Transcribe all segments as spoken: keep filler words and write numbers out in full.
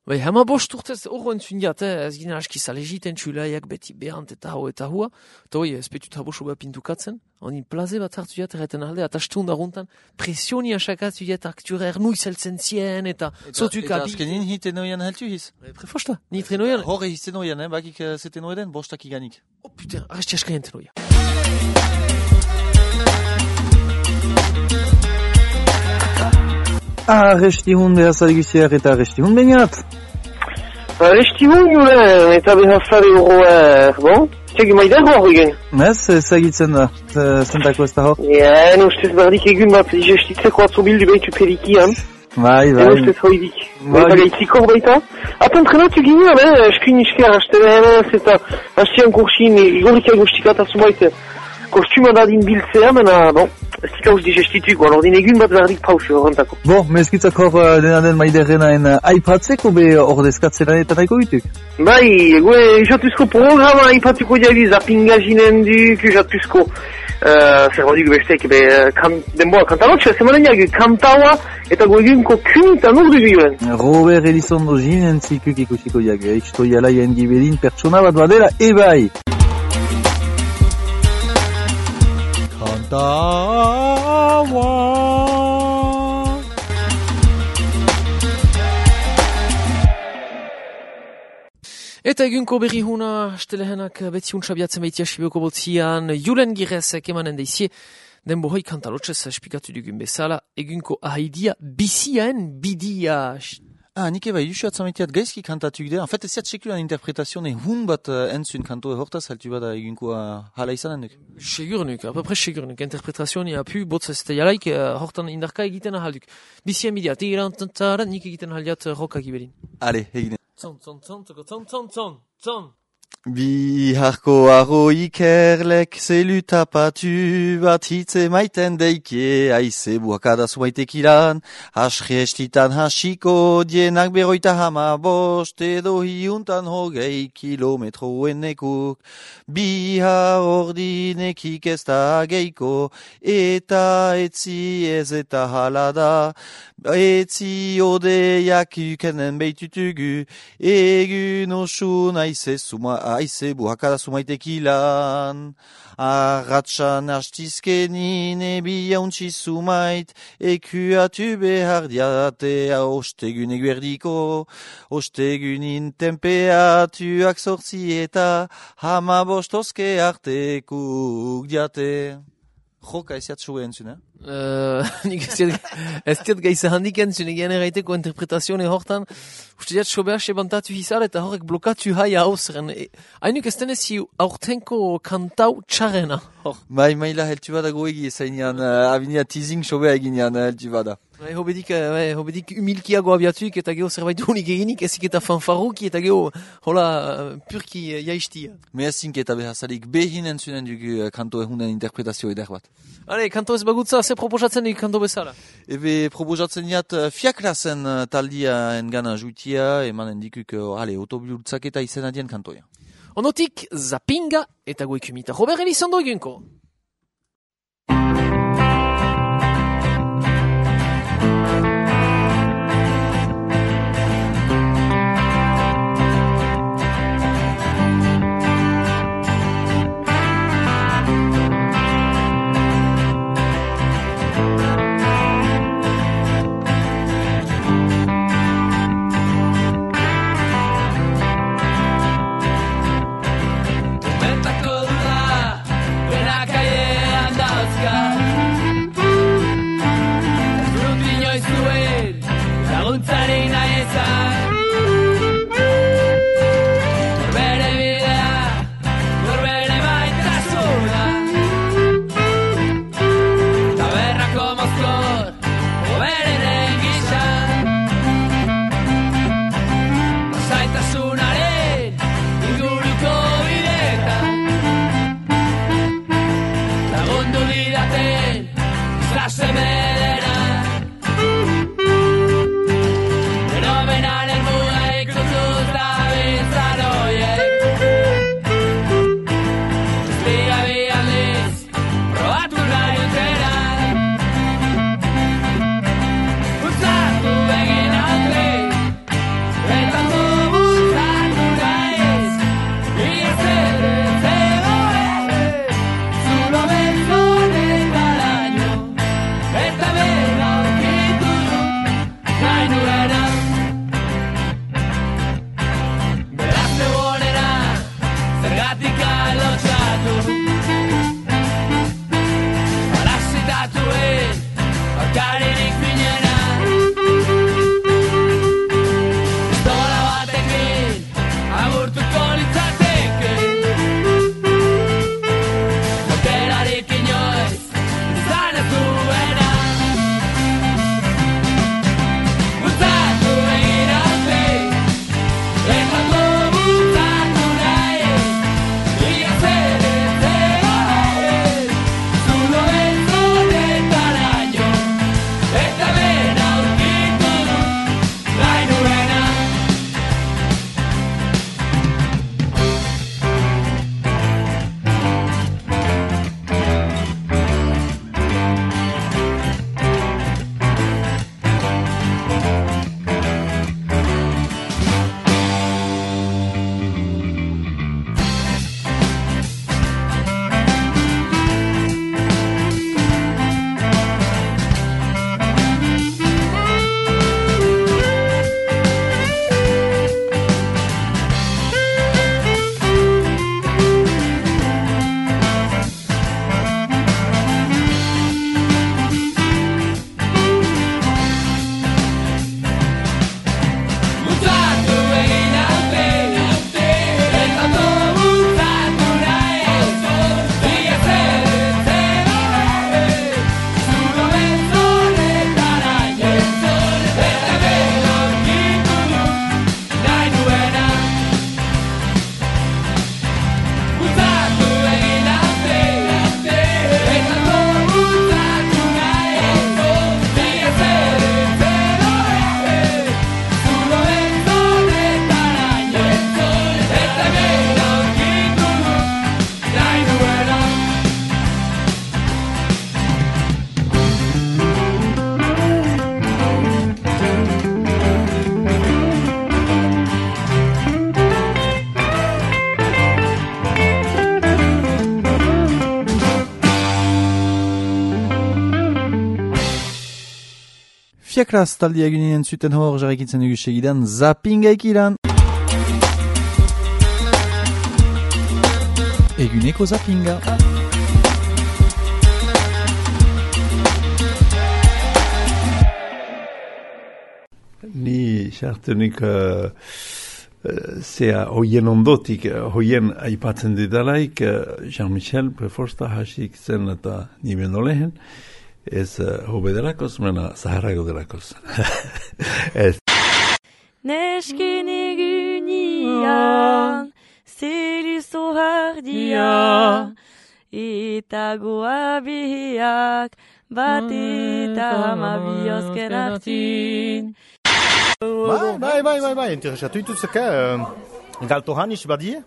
Bai, hama bost urtez horro entzun diat, eh? Ez ginen aski zalegiten txulaiak beti behant eta hau eta hua. Eta hoi, ez petut habo soba pintukatzen. Honi plaze bat hartu diat erreten alde, eta stund aguntan presioni asakatu diat aktura ernui zeltzen zien, eta zotuk Eta abi. azkenin hiten noien heltu hiz. Prefosta, nit renoian. Horre hizten noien, eh? Bakik eh, zeten noeden, bostak iganik. Oh putain, arresti askaien tenoia. Arrestihun behazargiziak eta arrestihun bainat. Arrestihun julen eta behazari horroer, bon? Txegi maider hor egen? Ez, ezagitzen da, zentako ez da hor. Ja, ustez bardik egun bat gestitzeko atzobildu behitu perikian. Bai, bai. Ustez hoidik. Eta gaitzikor baita. Aten trenatu ginean, eh, eskrin isker, hastenean ez eta hastean kursin, igorika egostikata zumaite. Kostuma dadin biltzea, mena, bon, ez dika usti gestituko, alor din egun bat bardik pausu horrentako. Bo, mezkitzak hor dena den maiderrenaen aipatzeko be ordezkatzen eta nahiko bituk. Bai, gue jatuzko programa aipatuko diabi zapinga jinen duk, jatuzko uh, zer baduk bestek, be, kan, denboa kantalotxe, zemaneniak kantaua eta gue egunko kunitan urdu gioen. Robert Elizondo jinen zikuk ikusiko diak, iksto jalaien gibelin pertsona bat badela, ebai. Kantaua. Eta egunko berri huna, stelehenak betzi untsabiatzen baitia Sibioko botzian, Julen Girezek emanen deizie, den bohoi kantalotxez espikatu dugun bezala, egunko ahaidia biziaen bidia. Ah, nik eba idusiat zametiat gaizki kantatuk dira. En fait, ez ziat sekulan interpretazione hun bat uh, entzun kantoe hortaz, haltu bada egunko uh, hala izanen duk. Segurnuk, apapres segurnuk. Interpretazioa apu, botz ez da jalaik, uh, hortan indarka egiten ahalduk. Bizien bidia, tirantantaran, nik egiten ahaldiat uh, roka gibelin. Ale, egine. Zon, zon, zon, zon, zon, zon, zon, zon. Biharko arro ikerlek zelu tapatu bat hitze maiten deike, aize buakada zumaitek ilan, asri estitan hasiko dienak beroita hama bost, edo hiuntan hogei kilometroen nekuk. Bihar ordinekik ez da geiko, eta etzi ez eta halada, etzi odeiak ukenen beitutugu, egun osun aize zuma aize buhakada zumaitek ilan. Arratxan hastizkenin ebia untsi zumait, ekuatu behar diatea ostegun eguerdiko, ostegunin tempeatuak sortzi eta hama bostozke artekuk diate. Joka ez jat zuen entzun, eh? Uh, nik ez diat gaiza handik entzun, egean erraiteko interpretazioa hortan, uste diat sobeak sebantatu hizar eta horrek blokatu haia hausren. Hainuk ez denezi aurtenko kantau txarrena. Bai, maila heltu bada goegi ezainan, uh, abinia teasing sobea eginean uh, heltu bada. Bai, hobedik, bai, hobedik humilkiago abiatuik eta geho zerbait unik eginik, ezik eta fanfaruki eta geho, hola, purki uh, jaistia. Meazink eta behazalik behin entzunen dugu uh, kanto ehunen interpretazio eder bat. Ale, kanto ez bagutza, ze proposatzen dik kanto bezala? Ebe proposatzen diat uh, fiaklasen uh, taldia engana juitia, emanen dikuk, uh, ale, otobiltzak eta izena dien kantoia. Onotik, Zapinga eta goikumita. Robert Elizondo egunko. Benetako dura, benak Fiakraz taldi egunien zuten hor jarrikitzen dugu segidan Zappinga ikiran. Eguneko Zappinga. Ni sartunik uh, zea hoien ondotik, hoien aipatzen didalaik, Jean-Michel Preforsta hasik zen eta nimen olehen, ez uh, hobe delakoz, mena zaharago delakoz. Ez. Neskin egunian, zeli zohardia, eta goa bihiak, bat eta hamabi azken hartin. Bai, bai, bai, bai, bai, interesatu ituzeke, uh, galto hanis badi,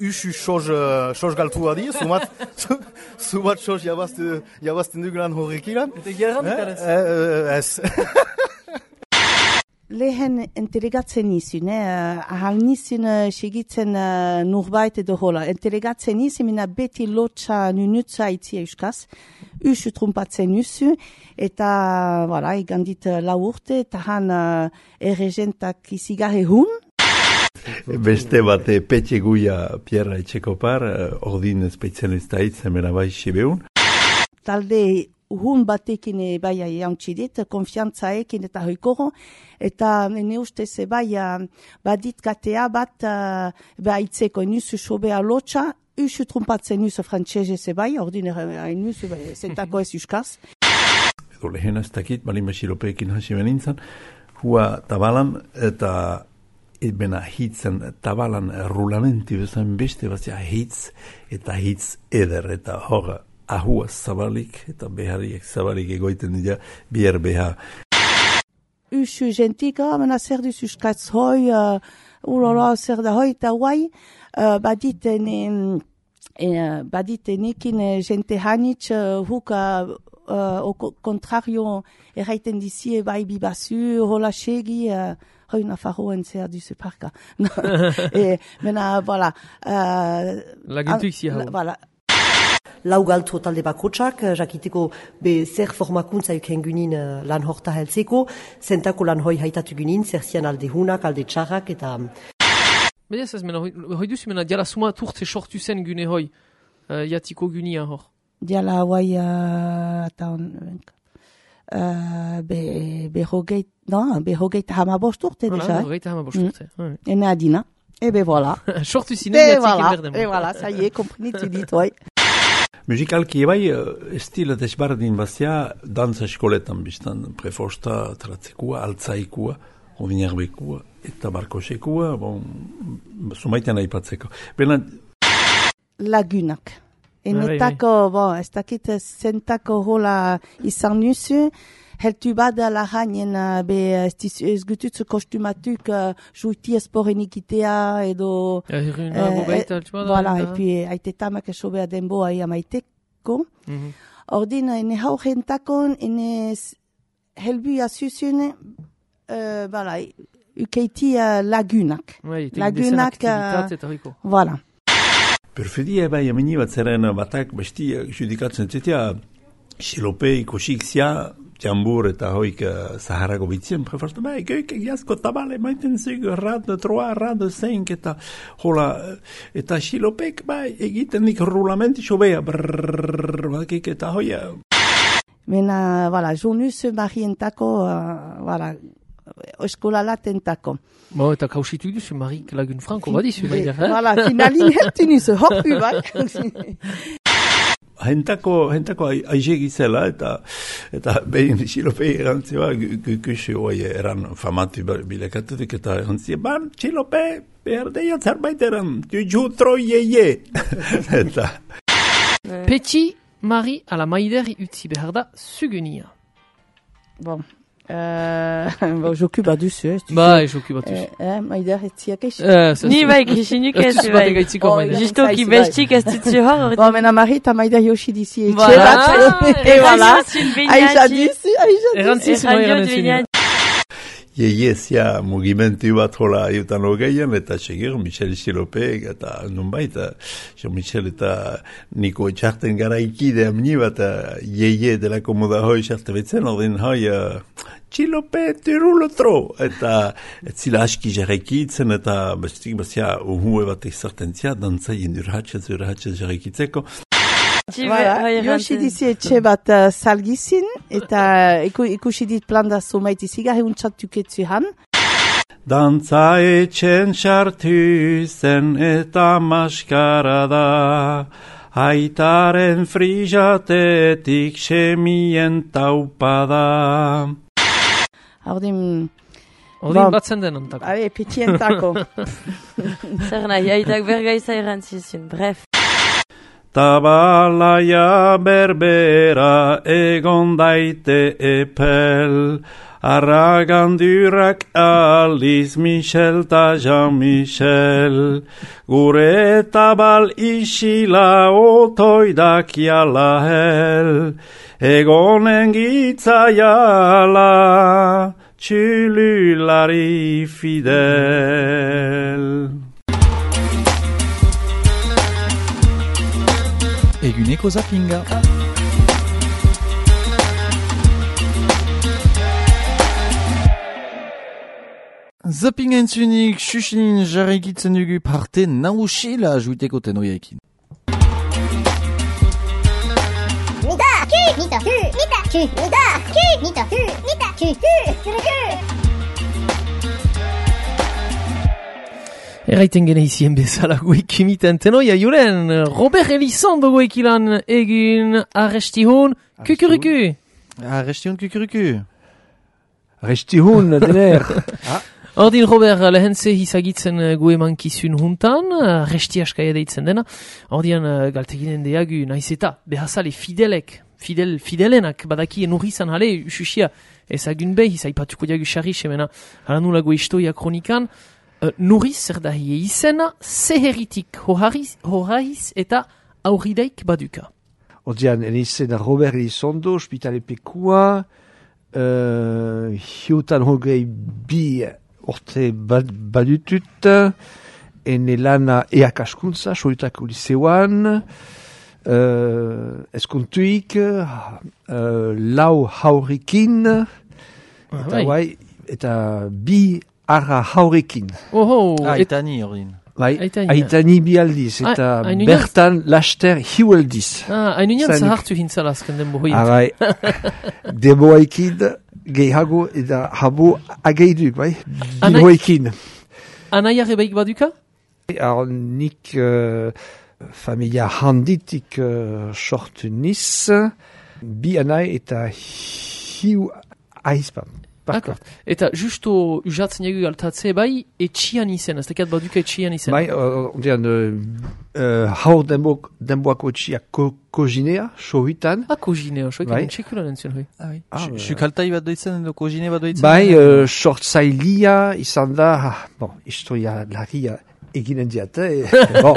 usu soz, uh, soz galtu adi, sumat, sumat soz jabazten, jabazten dugulan horrekilan. Eta gerran dukadez? Ez. Lehen entelegatzen nizun, eh? ahal nizun uh, segitzen uh, nurbait edo hola. Entelegatzen nizun, mina beti lotxa nunutza itzia euskaz, usu trumpatzen usu, eta, voilà, igandit uh, lau urte, eta han uh, erregentak izigarre hun. Beste bate petxe guia Pierra Etxekopar, ordin espezialista itzen mena bai sibeun. Talde hun batekin bai jauntxidit, konfiantzaekin eta hoikoro, eta ne ustez bai badit gatea bat uh, baitzeko nusu sobea lotxa, usu trumpatzen nusu frantxezez bai, ordin hain nusu zentako ez uskaz. Edo lehen ez dakit, balima xilopeekin hasi benintzen, hua tabalan eta bena hitzen tabalan rulamenti bezan beste bazia hitz eta hitz eder eta hor ahua zabalik eta behariek zabalik egoiten dira bier beha. Usu gentika, mena zer duz uskatz hoi, uh, urala zer da hoi eta guai, uh, baditen uh, baditenekin uh, gente hanitz uh, huka uh, au contrario erraiten dizie bai bibazu, hola segi, uh, hoi nafarroen zer duzu parka. e, mena, voilà. Uh, Lagintuik zia hau. Voilà. Lau galtu talde bakotsak, jakiteko be zer formakuntza euken gunin uh, lan horta heltzeko, zentako lan hoi haitatu gunin, zer zian alde hunak, alde txarrak, eta... Baina ez ez, mena, hoi, hoi duzu, mena, diala suma turtze sortu zen gune hoi, uh, jatiko gunia hor. Diala hoi, uh, eta on... Uh, be, be hogeit, no, be hogeit hamabost urte, Voilà, deja. hogeit hamabost urte. Mm. Ene adina. E be voilà. Sortu zinen E jatzik voilà, enberdem. e voilà, ça y est, komprenitu dit, oi. Musikalki bai, estilo desbardin bazia, dantza eskoletan biztan, Preforsta, tratzekua, altzaikua, ovinarbekua, eta barkosekua, bon, sumaitean aipatzeko. Bena... Lagunak. Enetako, bon, ez dakit zentako hola izan nuzu, heltu bada lahainen be ez gututzu kostumatuk uh, juiti esporen ikitea edo... Erruna, gogaita, altxua da. Voilà, epi aitetamak esobea denboa ia maiteko. Ordin, ene haurentakon, ene helbuia zuzun, voilà, ukeiti lagunak. Lagunak, voilà. Perfedia bai amini bat zeren batak besti judikatzen zetia xilope ikosik zia jambur eta hoik Zaharago bitzien Preforsta bai goik egiazko tabale maiten zig rad troa rad zeink eta hola eta xilopek bai egiten dik rulamenti sobea brrrr bakik eta hoia Mena, voilà, jonus marientako, uh, voilà, eskola latentako. Bo, eta kausitu duzu, Marik Lagun Franco, badizu, baina. Voilà, finalin heltu nizu, hoppu, bai. Hentako, hentako aizegi zela, eta, eta behin xilopei erantzioa, gukusi hoi eran famatu bilekatutik, eta erantzia, ban, xilopei, behar deia zerbait eran, jutro ye eta... Petxi, Mari, ala maideri utzi behar da, zugunia. Bon. Euh, bon, j'occupe à duzu, eh. Bai, j'occupe à duzu. Eh, maider etziak eix. Ni bai, kishinuk ez, bai. Justo ki bestik ez dutzu hor. Bon, mena Mari eta maider yoshi dizi etxe Voilà. bat. Et voilà. Aisha dizi, Aisha dizi. Erantziz, moi eran ezin. Ieiezia mugimentu bat hola iutan hogeian, eta segur, Michel Silope, eta nunbait, Jean-Michel eta Niko etxarten gara ikide amni bat, ieie delako moda hoi xarte betzen, ordin hoi, Silope, tirulo tro, eta ez zila aski jarrekitzen, eta bestik bazia uhue bat ezartentzia, dantzaien urratxez, urratxez jarrekitzeko. Voilà, Josi dizi etxe bat uh, salgizin, eta iku, ikusi dit planda zumait iziga, heun txatuketzu han. Dantza etxen sartu zen eta maskara da, aitaren frijatetik semien taupada. Ordin... Ordin batzen denantako. Habe, petientako. Zer nahi, aitak bergaiza erantzizun, bref. Tabalaia berbera egon daite epel, arragandurak aliz Michel ta Jean-Michel, gure tabal isila otoidak jala hel, egonen gitzaiala, txululari fidel. Eguneko zapinga. Zapinga entzunik, xuxinin jarrekitzen dugu parte nausila juiteko tenoiekin. Nita, ku, nita, ku, nita, ku, nita, ku, nita, ku, nita, ku, ku, ku. Erraiten gene izien bezala guik imiten tenoia juren, Robert Elizondo guik ilan egin arrestihun kukuriku. Arrestihun kukuriku. Arrestihun, dener. Ordin Robert lehentze hizagitzen gue mankizun huntan, arresti askaia deitzen dena. Ordin galteginen deagu naiz eta behazale fidelek, fidel, fidelenak badakien urrizan hale ususia ezagun behi zaipatuko diagu xarri semena halanula gue istoia kronikan. Uh, Nuriz zer da hie izena, zeheritik horaiz eta aurridaik baduka. Odian, en izena Robert Elizondo, ospitalepekua, uh, hiutan hogei bi orte bad, badutut, en elana eakaskuntza, soitako liseuan, uh, eskontuik, uh, lau haurikin, Ah, eta guai, eta bi arra haurekin. Oho, Aitani ordin. Bai, Aitani. aitani bi aldiz, eta Ah, hain unian- bertan laster hiueldiz. Ah, hain unian Zanik. zahartu hintzala azken den bohoiet. Ah, bai, deboaikid, gehiago, eta habo ageiduk, bai, Anai- bihoekin. Anaiare baik baduka? Alors, nik uh, familia handitik uh, sortu niz, bi anai eta hiu aizpam. D'accord. Eta justo usatzen egu galtatze bai, etxian izen, ez tekat baduka etxian izen. Bai, uh, ondian, uh, uh, hau denbo, denboako etxia ko, kozinea, sohitan. Ah, kozinea, soik Bai. egin txekulan entzien hoi. Ah, oui. Ah, Xukaltai bat doitzen, edo kojine bat doitzen? Bai, uh, sortzailia izan da, ah, bon, historia larria eginen diate, eh, bon,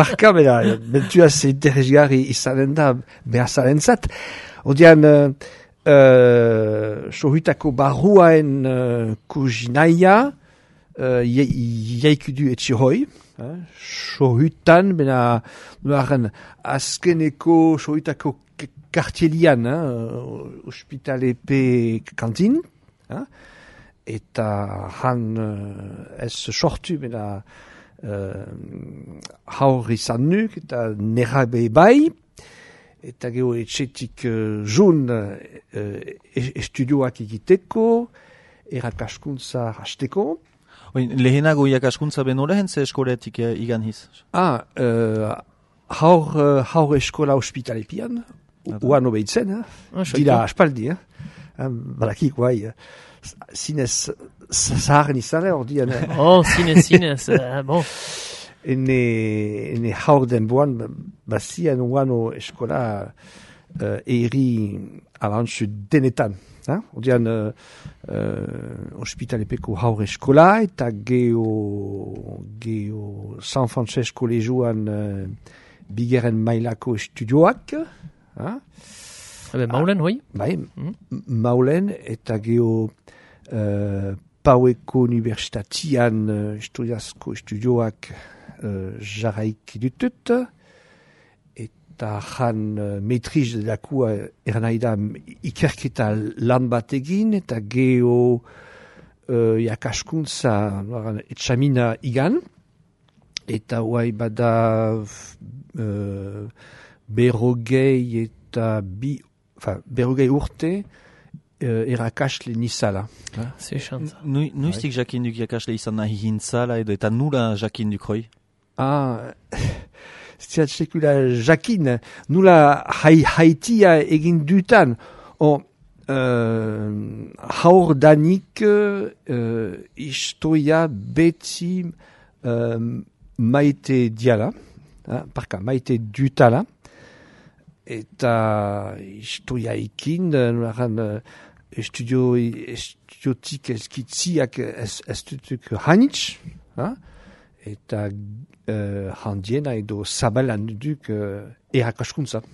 parka bera, bentuaz interesgarri izanen da behazaren zat. Odian, uh, uh, sohitako barruaen uh, kuzinaia, uh, jaikudu etxe hoi, uh, sohitan, bena, nuaren azkeneko sohitako kartielian, uh, ospitalepe kantin, uh, eta han uh, ez sortu, bena, uh, haur izan nuk, eta nerabe bai, eta geho etxetik uh, jun uh, estudioak egiteko, erakaskuntza hasteko. Lehenago iakaskuntza beno lehentze eskoletik eh, igan hiz? Ah, uh, haur, uh, haur eskola ospitalepian, uan obeitzen, eh? Ah, dira aspaldi, eh? Balakik, guai, zinez zaharen izan, hor dian. Oh, zinez, zinez, uh, bon. Ene, ene haur denboan, bazian uano eskola uh, eri alantzu denetan. Eh? Odian, uh, uh, ospitalepeko haur eskola, eta geho, geho San Francesco lejuan uh, bigeren mailako estudioak. Eh? Habe, maulen, hoi? Bai, mm. maulen, eta geho uh, Paueko Universitatian uh, historiazko estudioak uh, jarraiki ditut, eta jan uh, metriz delakua eranaida ikerketa lan bat egin, eta geho uh, jakaskuntza etxamina igan, eta huai bada uh, berrogei eta bi, enfin, berrogei urte uh, erakasle nizala. Nuiztik jakinduk jakasle izan nahi hintzala edo eta nula jakinduk hoi? Ah, ziat sekula jakin, nula hai, haitia egin dutan. O, uh, haur danik uh, historia beti uh, maite diala, uh, parka, maite dutala, eta historia ikin, nularan uh, estudio, estudiotik eskitziak ez, ez dutuk hanitz, uh, eta uh, handiena edo zabalan duk uh, erakaskuntza.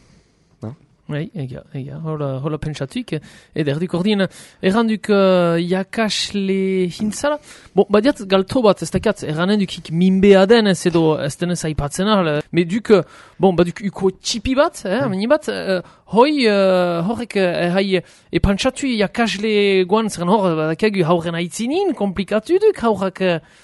Bai, egia, egia, hola, hola pentsatuik, eder erduk ordien, erranduk uh, jakasle hintzala, bon, badiat galto bat, ez dakiat, erranenduk minbea den, ez edo, ez denez aipatzen ahal, me duk, bon, baduk uko txipi bat, eh, mm. meni bat, uh, hoi, uh, horrek, uh, hai, e pantsatu jakasle guan, zeren hor, badakiagu hauren aitzinin, komplikatu duk, haurak, uh,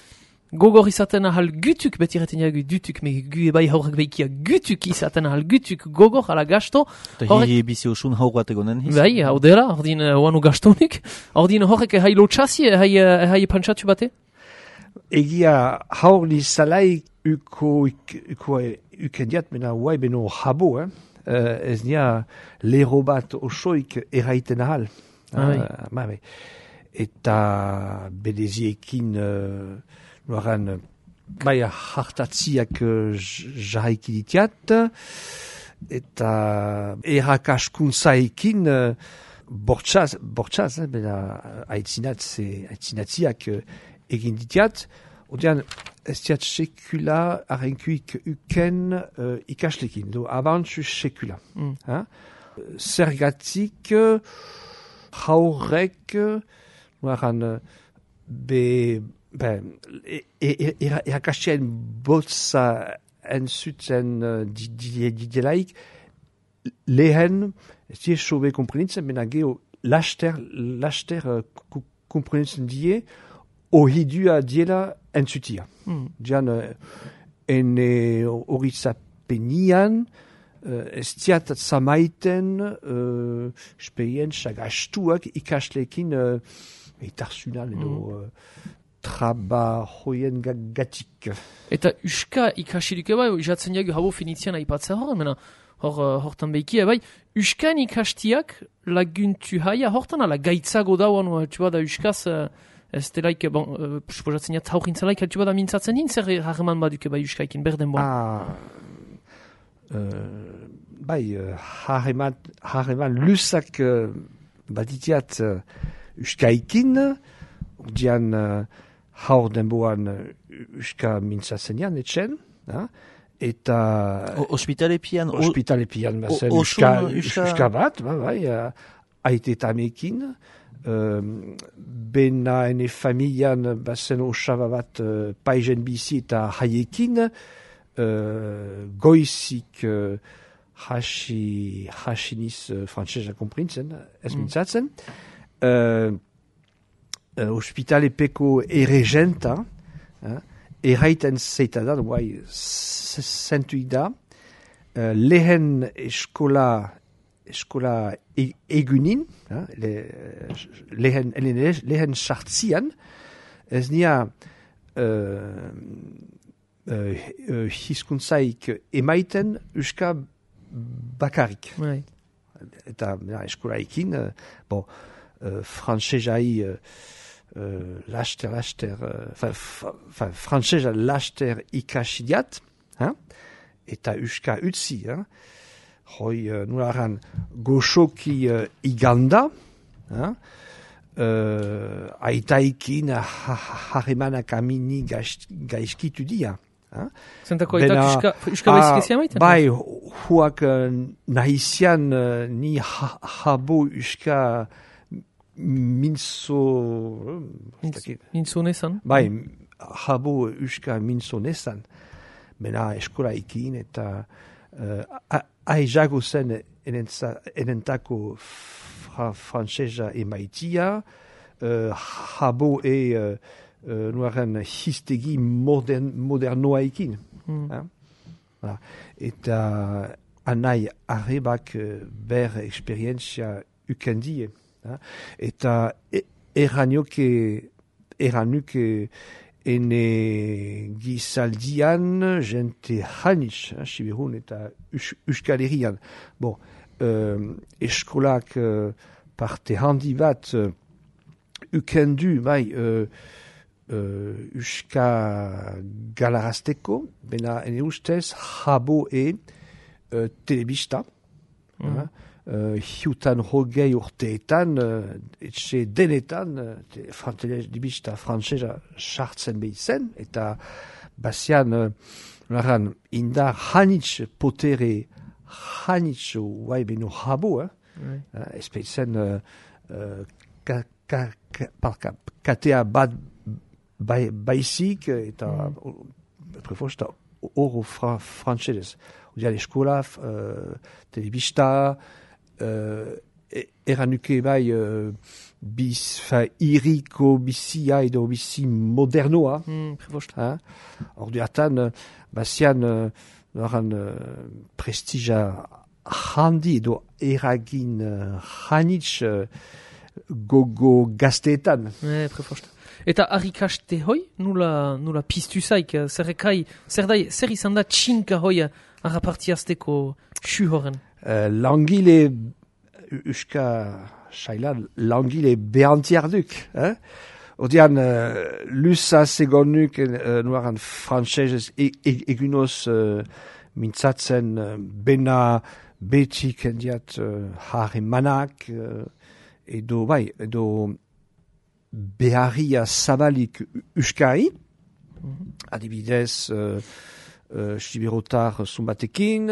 gogor izaten ahal gutuk, beti erreten jagu dutuk, me gu ebai haurrak behikia gutuk izaten ahal gutuk gogor, ala gasto. Eta hi ebizi osun haur bat egonen hiz? Bai, hau dela, ordin oanu uh, gastonik. Ordin horrek hai lotxasi, hai, uh, hai pantsatu bate? Egia haur li salai uko, uko ukendiat mena huai beno habo, eh? Uh, ez nia lero bat osoik erraiten ahal. Ah, bai. Uh, ma, bai. Eta bedeziekin... Uh, Noaran, bai hartatziak uh, jarraiki ditiat, eta erakaskuntzaekin uh, bortxaz, bortxaz, eh, bena aitzinatziak uh, egin ditiat, odean ez diat sekula arrenkuik uken uh, ikaslekin, do abantzu sekula. Mm. Hein? Zergatik uh, haurek, uh, noaran, uh, be... Ben, erakastien botza entzuten didelaik, lehen, ez die sobe komprenitzen, bena geho laster, laster komprenitzen die, ohidua diela entzutia. Mm. Dian, ene horizapenian, ez diat zamaiten, uh, experientzia gastuak ikaslekin uh, etarsunan edo... Mm. Uh, traba hoien gatik. Eta uska ikasirik bai, jatzen jagu habo finitzian aipatzea hor, mena, hor, hortan behikia bai, uskan ikastiak laguntu haia hortan, ala gaitzago dauan, txuba da uskaz, ez delaik, bon, suposatzen jat haurintzalaik, txuba da mintzatzen hin, zer harreman baduke bai uskaikin, berden bon. Ah, uh, bai, harreman, harreman lusak uh, baditiat uh, uskaikin, dian... Uh, haur denboan uska mintzatzen jan, etxen, ha? Eta... Ospitale pian... Ospitale pian, bazen, uska, uska bat, ba, bai, aite tamekin, um, bena ene familian, bazen osaba bat uh, paizen bizi eta haiekin, uh, goizik uh, hasi, hasiniz uh, frantzesa komprintzen, ez mintzatzen, uh, Uh, ospitale peko erregenta, uh, erraiten zeita da, guai, zentuik da, uh, lehen eskola, eskola e egunin, uh, le, lehen, lehen, lehen sartzian, ez nia uh, uh, uh, hizkuntzaik emaiten uska bakarik. Right. Eta ja, eskola ekin, uh, bon, uh, frantzesai... Uh, Uh, laster, laster, uh, frantzesa laster ikasidiat, hein? Eta uska utzi, hein? Hoi, uh, nularan, goxoki uh, iganda, hein? Uh, aitaikin harremanak amini gaizkitu dia. Hein? Zentako aitak uska, uska baizkezia maiten? Bai, huak uh, nahizian uh, ni ha, habo uska minzo... Minzo nezan? Bai, jabo uska minzo nezan. Mena eskola ikin eta uh, aizago zen enentako fra, frantsesa emaitia, uh, jabo e uh, uh, nuaren histegi modern, modernoa ikin. Mm. Eh? Voilà. Eta anai arrebak uh, ber experientzia ukendie. Eh? Eta e, eranioke eranuke ene gizaldian jente hanitz, eh, Sibirun eta Euskal Herrian. Bon, uh, eskolak uh, parte handi bat uh, ukendu, bai, uh, uh, Euska galarazteko, bena ene ustez jabo e uh, telebista, mm. uh, Uh, hiutan hogei urteetan, uh, etxe denetan, uh, telebista frantsesa sartzen behitzen, eta bazian, uh, indar hanitz potere hanitz guai beno jabo, eh? Mm. Uh, ez behitzen uh, uh, ka, ka, ka, ka, katea bat bai, baizik, eta mm. prefosta oro fra, frantsesez. Odean eskola, uh, telebista, Uh, eranuke bai uh, bis, fa, iriko bizia edo bizi modernoa. Mm, Orduatan, uh, bazian uh, uh, prestija handi edo eragin uh, hanitz uh, gogo gazteetan. Eh, prefosta. Eta harrikaste hoi, nula, nula piztu zaik, zerrekai, zer, dai, zer izan da txinka hoi harrapartiazteko xu horren? Uh, langile Euska Saila, langile behantiarduk. Eh? Odean, uh, lusa segonuk uh, nuaran frantsesez e, e, egunoz uh, mintzatzen uh, bena beti kendiat uh, harremanak uh, edo, bai, edo beharria zabalik Euskari, mm-hmm. adibidez uh, uh, Sibirotar zumbatekin,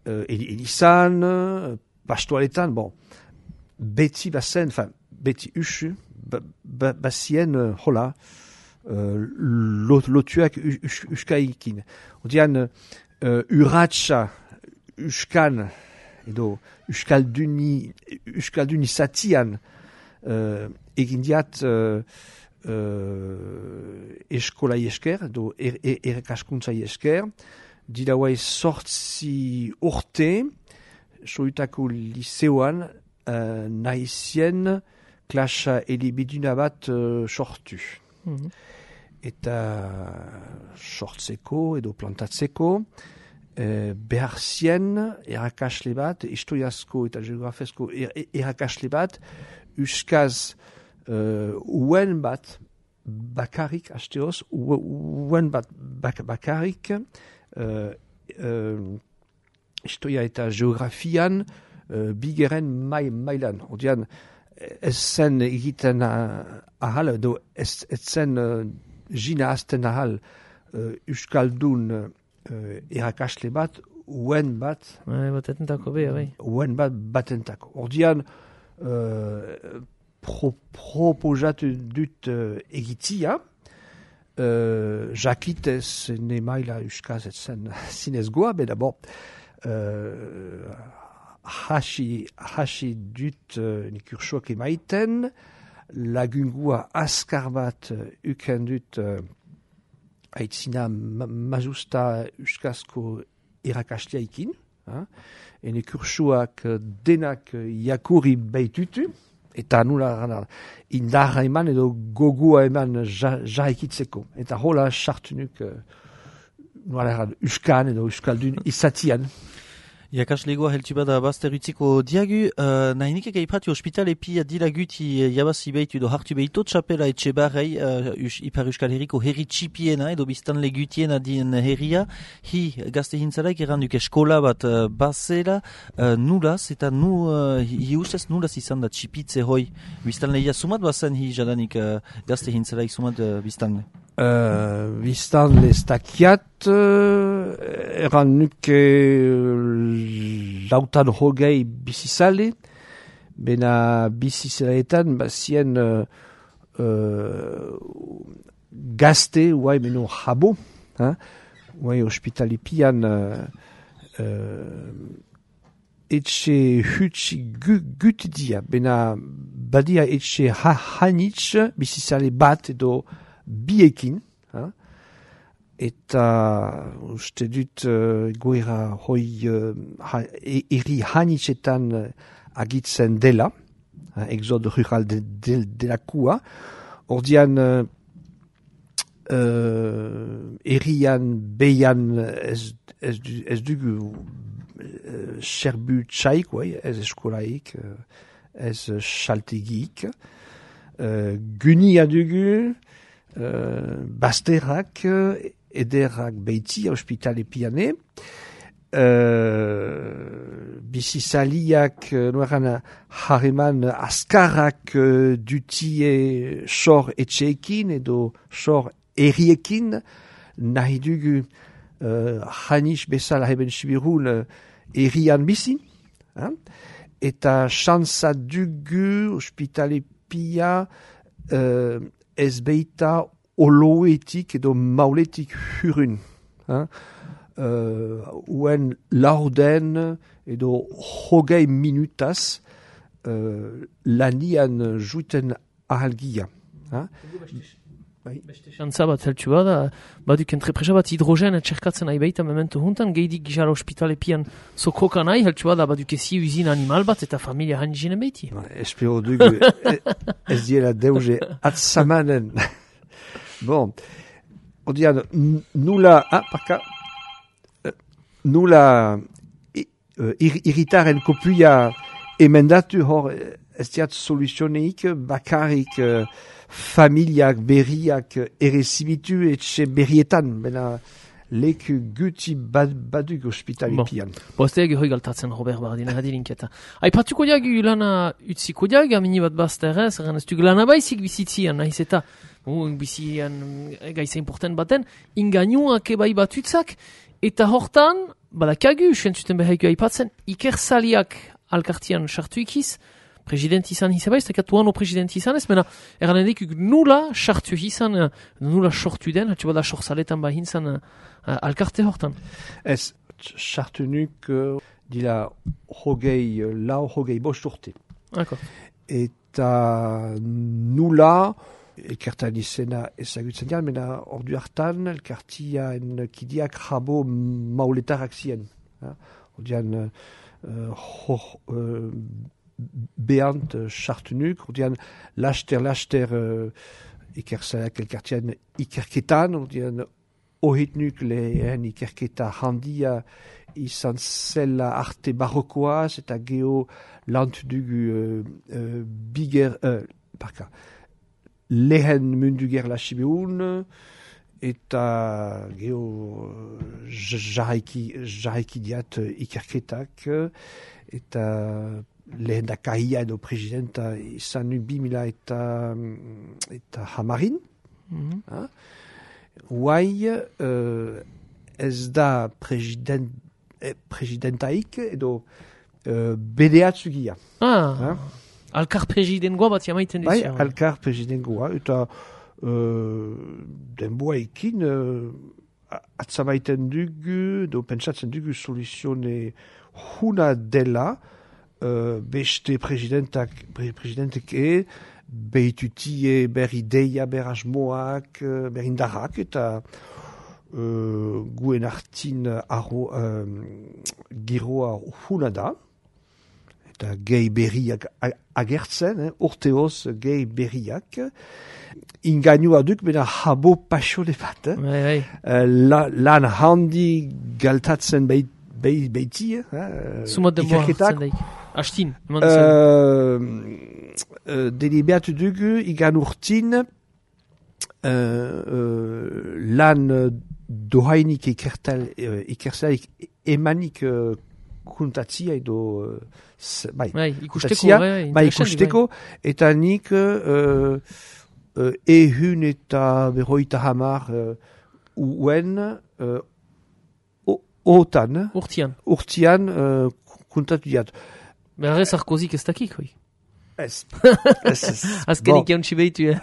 Uh, Elizan, uh, pastoaletan, bon, beti bazen, enfin, beti usu, ba, ba, bazien, uh, hola, uh, lot, lotuak us, uskaikin. Odean, uh, urratxa uskan, edo uskalduni, uskalduni zatian, uh, egin diat uh, uh, eskolai esker, edo er, er, erekaskuntzai esker, dira guai sortzi urte, soitako liceoan, uh, nahizien klasa elibiduna bat uh, sortu. Mm-hmm. Eta sortzeko edo plantatzeko, uh, behar zien erakasle bat, historiazko eta geografezko er, erakasle bat, euskaz uh, uen bat bakarik, hasteoz, uen bat bak, bakarik, Uh, uh, historia eta geografian uh, bigeren mai, mailan. Odean, ez zen egiten ahal, edo ez, ez zen uh, jina azten ahal uh, Euskaldun uh, erakasle bat, uen bat, bai, batentako be, bai. Uen bat batentako. Odean, uh, pro, proposatu dut uh, egitia, Uh, jakitez ne maila euskaz etzen zinez goa, beda bon, uh, hasi, hasi dut uh, nikursoak emaiten, lagungua askar bat uh, uken dut uh, aitzina ma mazusta euskazko irakasleaikin, uh, ene kursoak uh, denak uh, jakuri behitutu, eta nula indarra eman edo gogua eman jaikitzeko. Ja eta hola sartunuk uh, nula uskan edo uskaldun izatian. Iakaslegoa heltu bada bazterutziko diagu, uh, nahi nikek aipatu hospital epi adilaguti jabazi behitu edo hartu behito txapela etxe barrei uh, us, Ipar Euskal Herriko herri txipiena edo biztan legutiena dien herria, hi gazte hintzalaik erranduk eskola bat uh, bazela, uh, nulaz eta nu, uh, hi ustez nulaz izan da txipitze hoi biztan lehia sumat bazen hi jadanik uh, gazte hintzalaik sumat uh, biztan le? Uh, biztan lestakiat uh, eran nuke uh, lautan hogei bizizale, bena bizizelaetan, bazien uh, uh, gazte, uai meno jabo, hein? Uai ospitalipian uh, uh, etxe hutsi gu, gutidia, bena badia etxe ha, hanitz, bizizale bat edo biekin, hein? Eta uste dut uh, goera hoi uh, ha, e, eri hanitzetan uh, agitzen dela, uh, exode rural de, de, de la kua. Ordian uh, uh, erian beian ez, ez, ez dugu uh, serbu txaik, ouais, ez eskolaik, uh, ez xaltegik. Uh, Gunia dugu, uh, basterak, uh, ederrak beiti, hospitale piane, uh, bizizaliak, uh, noeran harreman askarrak uh, dutie sor etxeekin edo sor eriekin, nahi dugu uh, hanis bezala heben sibirun uh, erian bizi, hein? Eta chansa dugu hospitale pia uh, ez beita oloetik edo mauletik hurun. Hein? Uh, uen laurden edo hogei minutaz uh, lanian juiten ahalgia. Hein? Beste xantza bat zeltsu bada, baduk entrepresa bat hidrogen etxerkatzen nahi baita memento juntan, geidik gizara hospitale pian sokroka nahi, zeltsu bada baduk ezi uzin animal bat eta familia hanizinen baiti. Espero dugu ez diela deuze atzamanen. Bon, odian, nula, ah, parka, nula uh, irritaren kopuia emendatu hor ez diat soluzioneik, bakarrik uh, familiak berriak errezibitu etxe berrietan, bena leku guti bad, baduk hospitalipian. Bon, boazteak hoi galtatzen Robert Bardin, erradilinketa. Aipatuko diagu lana utziko diagu, amini bat bazterrez, erran ez duk lana baizik bizitzian, nahiz eta bizian gaiza important baten, ingainuak ebai batutzak, eta hortan, badakagu, sentzuten behaiko aipatzen, ikersaliak alkartian sartu ikiz, president izan izabaiz, eta katuan o president izan ez, mena, erran edekuk nula sartu izan, nula sortu den, hatxe bada sorsaletan bahin zan uh, alkarte hortan. Ez, sartu nuk uh, dila hogei lau, hogei bost urte. D'accord. Eta nula elkartan izena ezagutzen dian, mena ordu hartan elkartian kidiak jabo mauletarak zien. Ordian uh, ho, uh, behant sartunuk, ordian laster-laster uh, ikerzaleak elkartian ikerketan, ordian ohitnuk lehen ikerketa handia izan zela arte barrokoaz, eta geho lant dugu uh, uh, biger, uh, parka, lehen mundu gerla sibeun, eta geho jarraiki, jarraiki diat ikerketak, eta lehen da kahia edo presidenta izan nu bimila eta, eta hamarin. Mm-hmm. Huai uh, ez da president, eh, presidentaik edo uh, bedeatzugia. Ah, ha? Alkar presidengoa bat jamaiten dizia. Bai, alkar presidengoa, eta uh, denboaikin uh, atzamaiten dugu, do pentsatzen dugu soluzione huna dela, uh, beste presidentak, presidentek e, behitutie ber ideia, ber asmoak, ber indarrak, eta uh, guen artin arro, uh, giroa huna da, eta gehi berriak agertzen, eh, urteoz gehi berriak, ingainua duk, bena habo pasole bat, eh? Bai, bai. Uh, la, lan handi galtatzen beiti, beiti, eh? Sumat denboa hartzen daik. Astin. Uh, uh, deliberatu dugu, igan urtin, uh, uh, lan dohainik ikertal, uh, ikertalik emanik uh, kuntatzia edo uh, bai, bai, ikusteko, bai, bai, ikusteko, eta nik uh, uh, ehun eta berroita hamar uh, uen uh, otan, urtian, urtian uh, kuntatu diat. Berre Sarkozik ez dakik, hoi? Ez. Azkenik jauntsi behitu,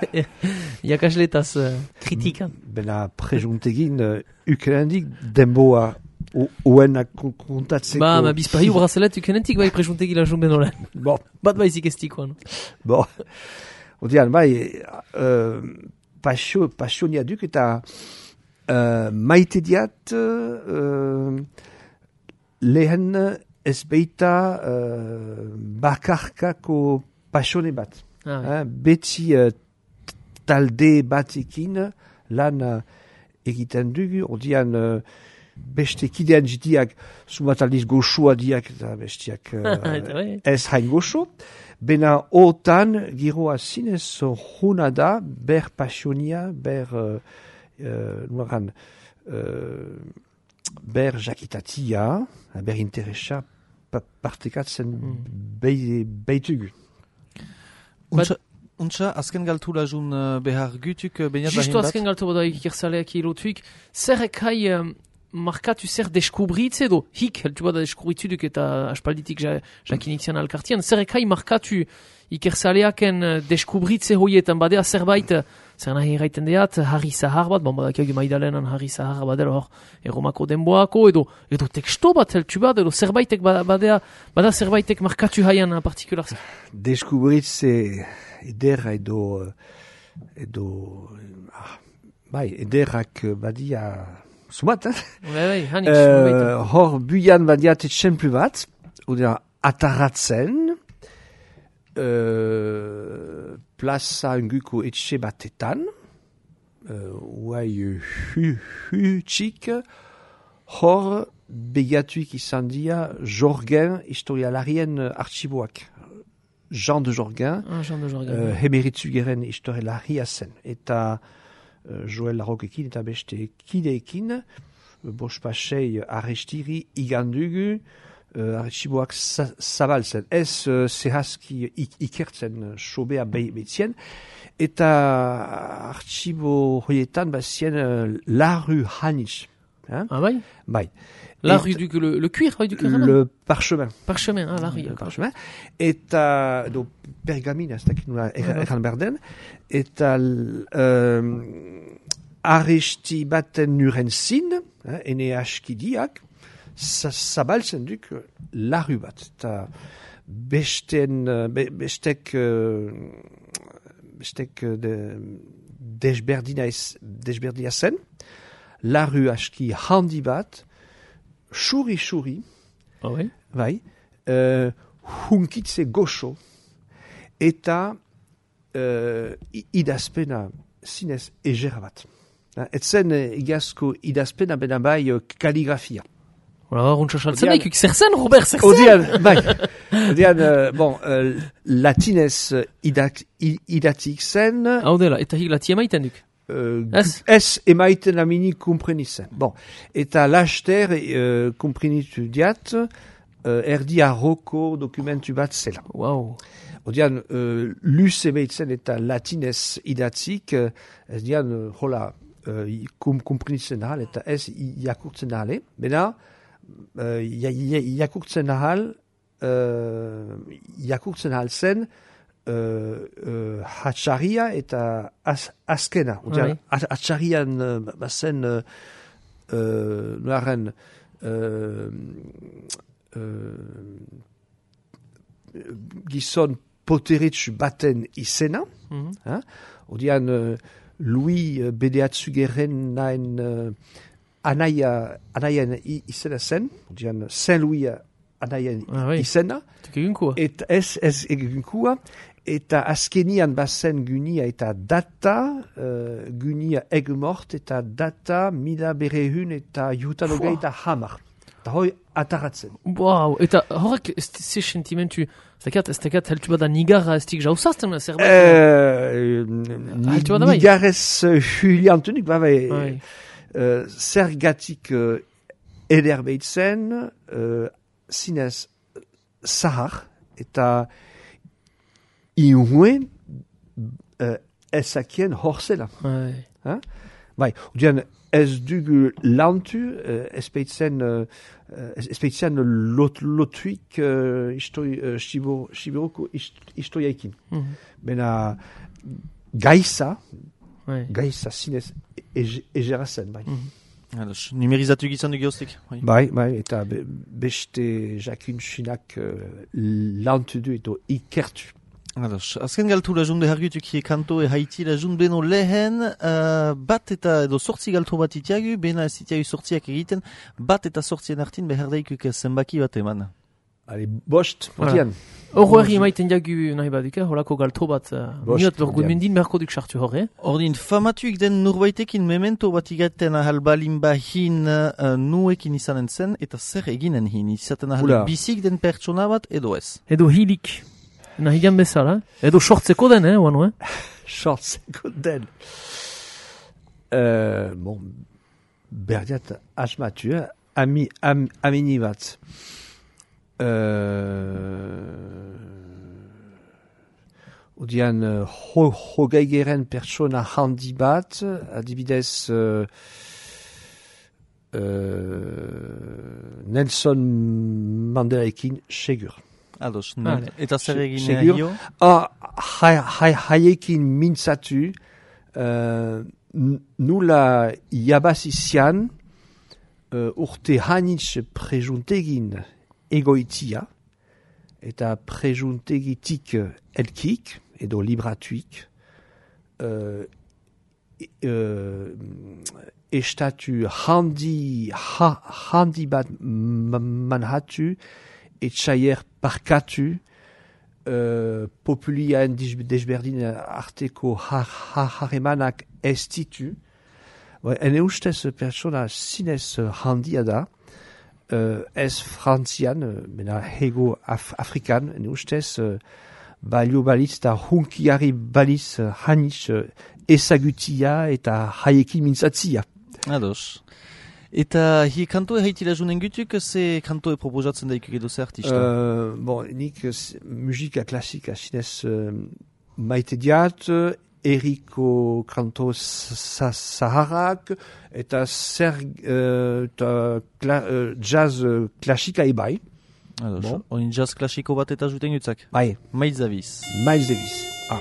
jakasletaz kritika. Bena prejuntegin, ukenendik denboa oenak kontatzeko... Ba, ma bizpahi brazelet ukenentik bai prejuntegi la jumben olen. Bon. Bat baizik estikoan. Bon. Odian, bai, uh, pasio, pasionia duk eta uh, maite diat uh, lehen ez beita uh, bakarkako pasione bat. Ah, eh, beti uh, talde batekin lan uh, egiten dugu, odian... Uh, beste kidean jitiak sumat aldiz goxoa diak eta bestiak uh, ez hain goxo. Bena otan giroa zinez hona da ber pasionia, ber uh, uh, nuaran, uh, ber jakitatia, ber interesa pa partekatzen mm. beitugu. Untsa, untsa, azken galtura jun uh, behar gutuk uh, beniat bahin bat? Justo azken galtu bada ikirzaleak ilotuik, zerrek hai... Um, markatu zer deskubritze edo hik, heltu bada deskubritzuduk eta aspalditik ja, jakinitzen alkartian, zer ekai markatu ikerzaleaken deskubritze hoietan badea zerbait, zer nahi erraiten deat, harri zahar bat, bon badakiak maidalenan harri zahar badela hor eromako denboako, edo, edo teksto bat heltu bada, edo zerbaitek badea, bada zerbaitek markatu haian partikular. Deskubritze edera edo, edo, ah, bai, ederak badia... Sumat, eh? Bai, bai, hanik. Uh, hor buian badiat etxemplu bat, odea ataratzen, uh, plaza unguko etxe batetan, uh, uai hu, hu txik, hor begatuik izan dia Jorgen historialarien artxiboak. Jean de Jorgen, ah, Jean de Jorgen. Uh, hemeritzu geren historialaria zen. Eta... Joel Larrokekin eta beste kideekin, bospasei arrestiri igandugu, uh, archiboak zabaltzen. Ez uh, zehazki ikertzen sobea behitzen, eta archibo hoietan bazien uh, Larru Hanitz. Hein? Ah bai? Bai. La rue du le, le cuir, rue du cuir. Le parchemin. Parchemin, ah la rue. Le parchemin. Eta do pergamina, ez dakit nula erran berden. Eta um, arresti baten nuren zin, eh, ene askidiak, zabaltzen duk la rue bat. Eta besten, be, bestek, bestek de, desberdina, desberdina zen, la rue aski handi bat, Xuri-xuri, oh, oui. bai, uh, hunkitze goxo, eta uh, idazpena zinez egera bat. Etzen igazko idazpena bena bai uh, kaligrafia. Ola, runtsa saltzen daikuk, zer zen, Robert, zer zen? Odian, bai, odian, uh, bon, uh, latinez idak, idatik zen... Hau dela, eta hik latia maiten duk? Uh, ez emaiten amini komprenitzen. Bon, eta laster uh, komprenitu diat uh, erdi arroko dokumentu bat zela. Wow. Odian, uh, luz emaitzen eta latinez idatzik, uh, ez dian, uh, hola, uh, kom komprenitzen ahal, eta ez iakurtzen ahal, bena, uh, iakurtzen ahal, uh, iakurtzen ahal zen, Uh, uh, hatxarria eta az, azkena. Right. Hatxarrian uh, bazen uh, uh, nuaren uh, uh, gizon poteritz baten izena. Mm-hmm. Hein? Odian uh, Louis uh, bedeatzugeren nain uh, anaia, anaian izena zen. Odian Saint-Louis anaian ah, oui. izena. Eta ez, ez eginkua. Eta azkenian bazen gunia eta data, uh, gunia egmort eta data mila berehun eta jutalogei eta hamar. Eta hoi ataratzen. Wow, eta horrek ze sentimentu, ez dakat, ez dakat heltu bada nigarra ez dik jauzazten, zerbait? Uh, nigarrez huliantunik, ba bai, uh, zergatik uh, ederbeitzen, uh, zinez zahar, eta Iunuen uh, ezakien horzela. Bai. Bai, udian ez dugu lantu, uh, espeitzen, uh, espeitzen lot, lotuik uh, istoi, uh, shibor, shiboroko ist, istoiaikin. Mm-hmm. Bena gaisa, ouais. gaisa zinez egera zen, bai. Mm-hmm. Ados, numerizatu gizan du geostik. Bai, bai, bai eta be, beste jakun chinak uh, lantu du edo ikertu. Ados, azken galtu la junde hargutuk hie kanto e haiti la junde beno lehen, uh, bat eta edo sortzi galtu bat itiagu, bena ez itiagu sortziak egiten, bat eta sortzien artin beherdaikuk zenbaki bat eman. Ali, bost, potian. Hor herri emaiten diagu nahi baduk, holako galtu bat, miot lor gudmendin merko duk sartu hor, eh? Ordin, famatuik den nurbaitekin memento bat igaten ahal balin bahin uh, nuekin izanen zen, eta zer eginen hin, izaten ahal bizik den pertsona bat edo ez. Edo hilik. Nahian bezala, edo sortzeko den, eh, oanu, eh? Sortzeko den. Uh, bon, berdiat asmatu, eh? Ami, am, amini bat. Uh, Odian, ho, hogeigeren pertsona handi bat, adibidez, uh, uh, Nelson Mandelaekin segur. Ados, vale. Eta zer egin hio? Ah, haiekin mintzatu, uh, nula jabazizian uh, urte hanitz prejuntegin egoitia, eta prejuntegitik elkik, edo libratuik, uh, uh, estatu handi, ha, handi bat manhatu, etxaier parkatu, uh, populiaen desberdin arteko harremanak ez ditu. Ene ustez pertsona zinez handia da, uh, ez frantzian, mena hego af afrikan, ene ustez uh, balio balitz eta hunkiari balitz uh, hanitz uh, ezagutia eta haiekin mintzatzia. Ados. Eta hi kanto e haitila junen gutuk, ze kanto e proposatzen daikuk edo ze artista? Uh, bon, nik musika klasika zinez uh, maite diat, eriko kanto saharak, eta zer uh, ta, kla, uh, jazz uh, klasika ebai. Ados, bon. Oin jazz klasiko bat eta juten gutzak? Bai. Miles Davis. Miles Davis, ah.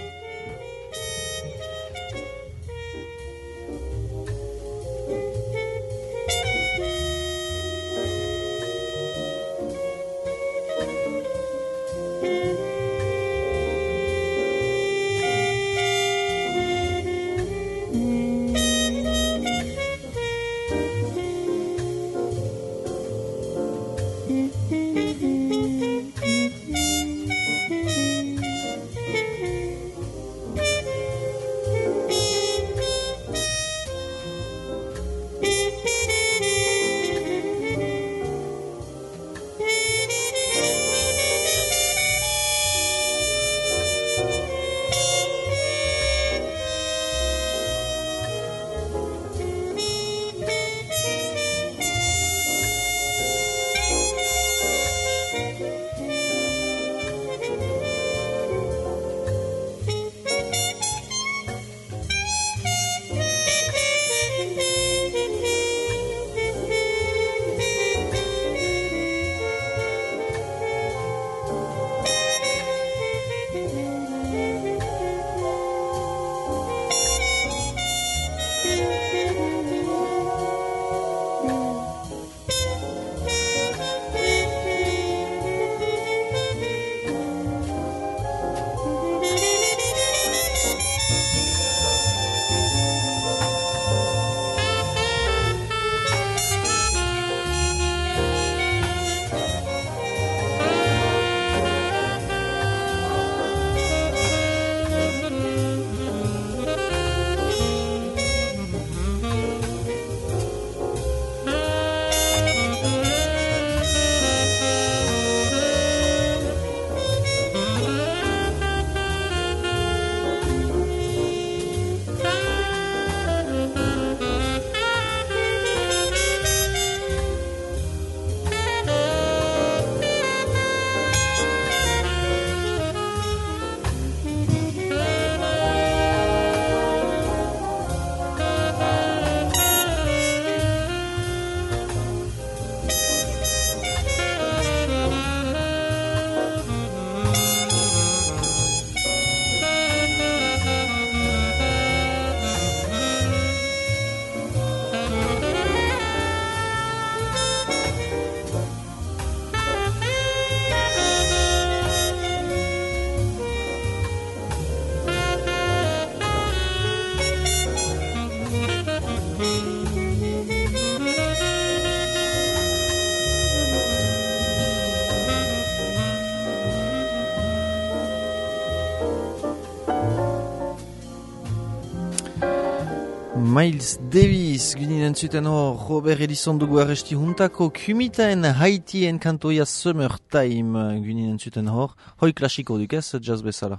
Miles Davis, gunin entzuten hor, Robert Ellison dugu arresti juntako, kumitaen Haitien kantoia Summertime, gunin entzuten hor, hoi klasiko duk ez, jazz bezala.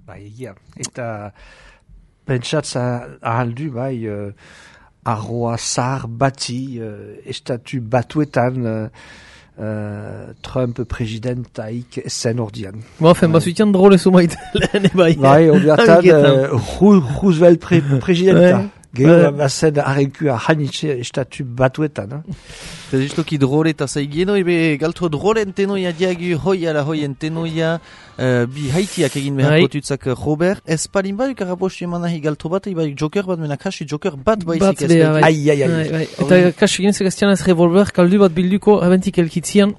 Bai, egia, eta pentsatza ahaldu, bai, uh, arroa zahar bati, uh, estatu batuetan, uh, Uh, Trump presidentaik zen ordian. Ba, fen, basutian drole sumait lehen bai. Bai, ordiatan uh, Roosevelt pre presidenta. Gero, bazen arrenkua hanitxe estatu batuetan. Eta justoki drole eta zaigeno, ebe galtu drole entenoia diagu hoi ala hoi entenoia uh, bi haitiak egin beharko tutzak Robert. Ez palin baduk arapostu eman nahi galtu bat, eba joker bat mena kasu joker bat baizik ez. Ai, ai, ai. Eta kasu egin zegaztian ez revolver kaldu bat bilduko abentik elkitzian.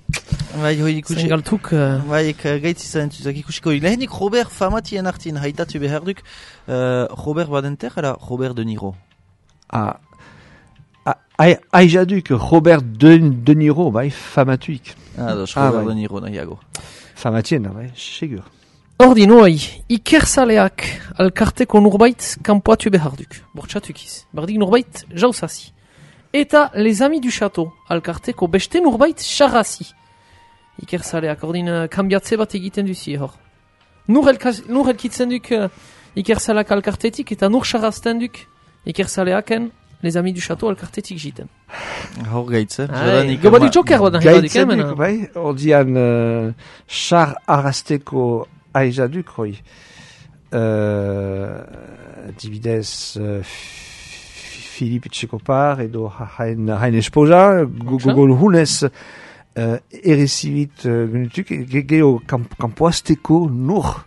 Bai, hoi ikusi. Zen galtuk. Bai, gaitzi zaren tuzak ikusiko. Lehenik Robert famatien artin haitatu beharduk. Uh, Robert badenter, ala Robert De Niro. Ah, aijaduk Robert De, De Niro, bai, famatuik. Ah, dos, Robert ah, De Niro nahiago. Famatien, bai, segur. Ordi noi, ikerzaleak alkarteko nurbait kanpoatu beharduk. Bortxatukiz. Bardik nurbait jausasi. Eta les amis du château alkarteko beste nurbait charrasi. Ikerzaleak, ordin uh, kambiatze bat egiten duzi hor. Nur, nur elkitzen duk uh, ikerzaleak alkartetik eta nur charrazten duk ikerzaleaken les amis du château alkartetik jiten. Hor gaitze. Gobadi joker bat nahi badik, eh, mena. Bai, ordian uh, char arrasteko aizaduk, roi. Uh, dibidez uh, Philippe Tchekopar edo hain, hain esposa, gogol hunez uh, erezibit uh, genutuk, geho kampoazteko nur.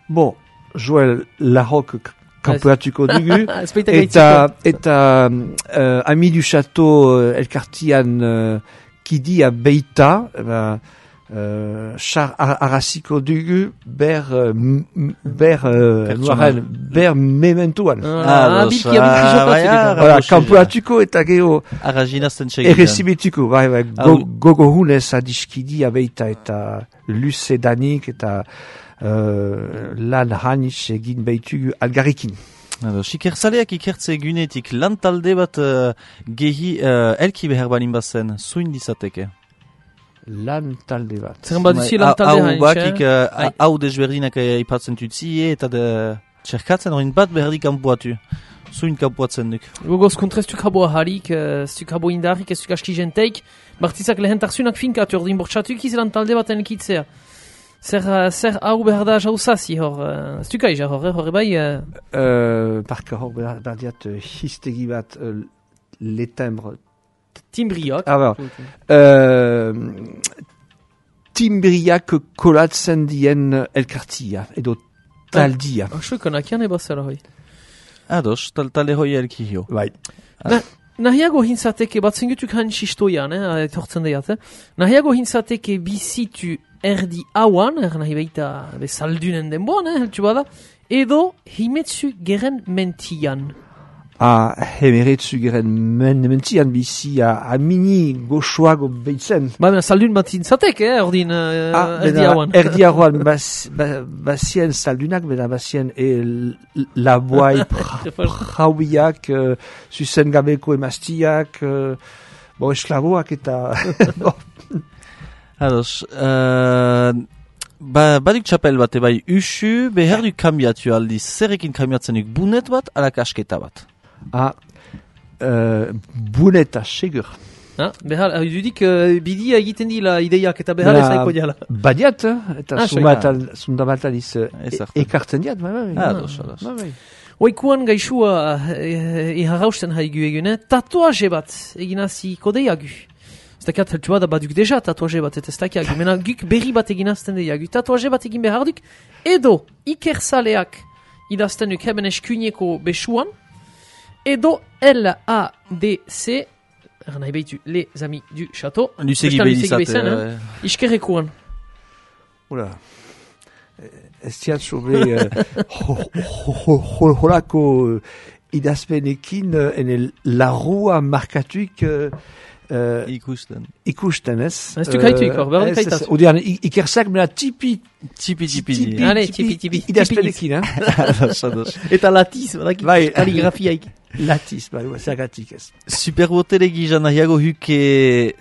Bon, Joël Larocque kampoatuko dugu, eta, eta uh, ami du château uh, elkartian uh, kidia beita, uh, Uh, char arrasiko dugu ber uh, ber uh, noaren, ber mementuan. Ah, bilki abik voilà, kampuatuko eta geho arraginazten txegin. Errezibituko, bai, bai, gogo hunez adiskidi abeita eta luze danik eta uh, lan hanitz egin behitugu algarrikin. Ikerzaleak ikertze egunetik lan talde bat uh, gehi uh, elki behar balin bazen, zuin dizateke. Lan talde bat. Zer bat duzi lan talde hain, hau bakik, hau desberdinak ipatzen tutzie, eta de txerkatzen horien bat berdi kanpoatu. Zuin kanpoatzen duk. Gogoz kontreztuk habo aharik, zuk habo indarrik, ez zuk aski jenteik, bartizak lehen tarzunak finkatu ordin bortxatuk iz lan talde bat enkitzea. Zer, zer hau behar da jauzazi hor, ez duk aiza hor, hor bai? Parka hor behar diat histegi bat letembre Timbriak. Ah, bah. euh, Timbriak kolatzen dien elkartia, edo taldia. Ah, je konak jan eba zera hoi. Ados, tal talde hoi elkihio. Bai. Nahiago hintzateke, bat zengutuk han sistoian, eh, etortzen daiat, eh? Nahiago hintzateke bizitu erdi hauan, er nahi baita bezaldunen denboan, eh, heltu bada, edo himetzu geren mentian. A hemeretzu geren men, mentian bizi a, a mini goxoago behitzen. Ba, bena, saldun bat zintzatek, eh, ordin uh, ah, erdi hauan. Erdi hauan, bas, ba, basien saldunak, bena basien e laboai prauiak, uh, zuzen gabeko emaztiak, uh, bo esklaboak eta... Ados, uh, ba, badik txapel bat, bai, usu, behar du kambiatu aldiz, zerrekin kambiatzenik bunet bat, ala kasketa bat. Ah, uh, buneta, segur. Ah, behar, dudik, uh, bidi egiten dila ideiak eta behar ezaiko diala. Badiat, eta ah, sundabat aliz uh, ekartzen diat, bai, bai. Ah, dos, dos. Oikuan gaixua iharrausten uh, haigu egune, tatuaje bat eginazi kodeiagu. Ez dakiat heltu bada baduk deja tatuaje bat eta ez dakiagu. Mena guk berri bat eginazten deiagu. Tatuaje bat egin behar duk, edo ikerzaleak idazten duk heben eskuineko besuan, edo L A D C, er nahi behitu, les amis du château. Lusegi behizate. Iskerrekuan. Ola, ez tiat sobe holako idazpenekin ene larrua markatuik Uh, ikusten. Ikusten, ez? Ez du kaitu ikor, berri kaitatu. Odean, ikersak mena tipi... Tipi, tipi, tipi. Allez, tipi, tipi. Idazpenekin, eh? Eta latiz, badaki, bai, kaligrafiaik. Latiz, bai, zergatik ez. Superbotelegi jana nahiago huke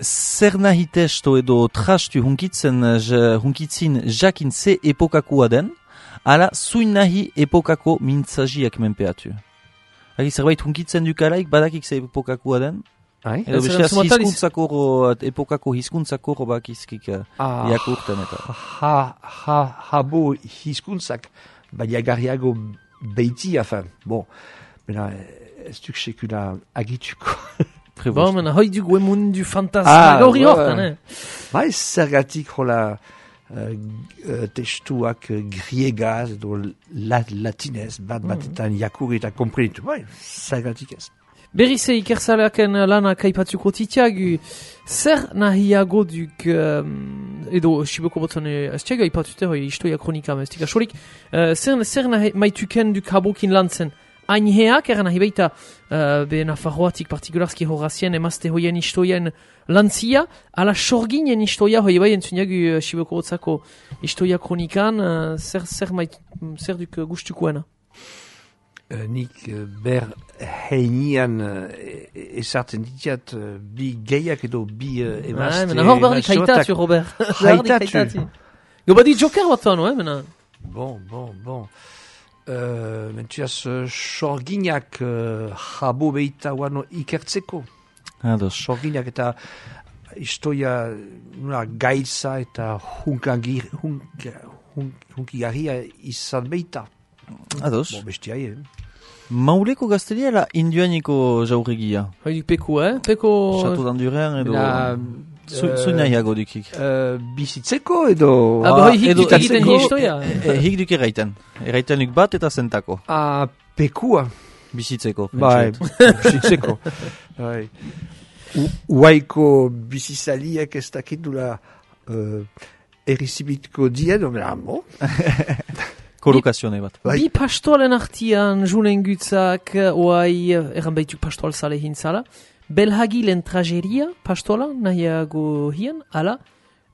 zer nahi testo edo trastu hunkitzen, hunkitzin jakin ze epokakua den, ala zuin nahi epokako mintzajiak menpeatu. Hagi zerbait hunkitzen dukalaik, badakik ze epokakua den, Ai? Edo besteaz hizkuntzako, epokako hizkuntzako robak izkik ah, jakurten eta. Ha, ha, habo hizkuntzak, baiagarriago beiti, afan, bon, mena, ez duk sekula agituko. Bon, mena, hoi dugu emun du fantasma gauri hortan, eh? Bai, zergatik hola uh, uh, testuak uh, griegaz edo lat, latinez, bat batetan jakur eta komprenitu, bai, zergatik ez. Berrize ikerzaleaken lanak aipatzuko titiagu, zer nahiago duk, um, edo siboko botzen ez tiago aipatute hoi istoia kronika mestika solik, uh, zer, zer nahi maituken duk habokin lantzen, ainheak eran nahi baita uh, be Nafarroatik partikularski horazien emazte hoien istoien lantzia, ala sorginen istoia hoi bai entzuniagu uh, siboko botzako istoia kronikan, uh, zer, zer, mait, zer duk uh, gustukoena? Uh, nik uh, ber heinian uh, esartzen ditiat uh, bi geiak edo bi uh, emazte... Ah, mena hor barrik haitatu, Robert. Haitatu. Gobadi joker bat zano, eh, mena. Bon, bon, bon. Uh, Mentuaz, uh, sorginak uh, jabo behita wano ikertzeko. Ados. Sorginak eta istoia nuna gaitza eta hunkagir, hunk, hunk, hunkigarria izan behita. Ados. Bon, bestia, eh? Mauleko gaztelia la induaniko jaurregia. Hoi duk peko, eh? Peko... Chateau d'Anduren edo... Zuin nahiago dukik. Uh, bizitzeko edo... Ah, hoi hik duk egiten histoia. Hik duk eraiten. Eraiten duk bat eta zentako. Ah, pekua. Bizitzeko. Bai, bizitzeko. Bai. Uaiko bizizaliak ez dakit dula errizibitko dien, omela, bon. Kolokazione bat. Bi pastoalen artian julen gutzak, oai, erran baituk pastoal zale hintzala, belhagilen trageria pastoala nahiago hien, ala,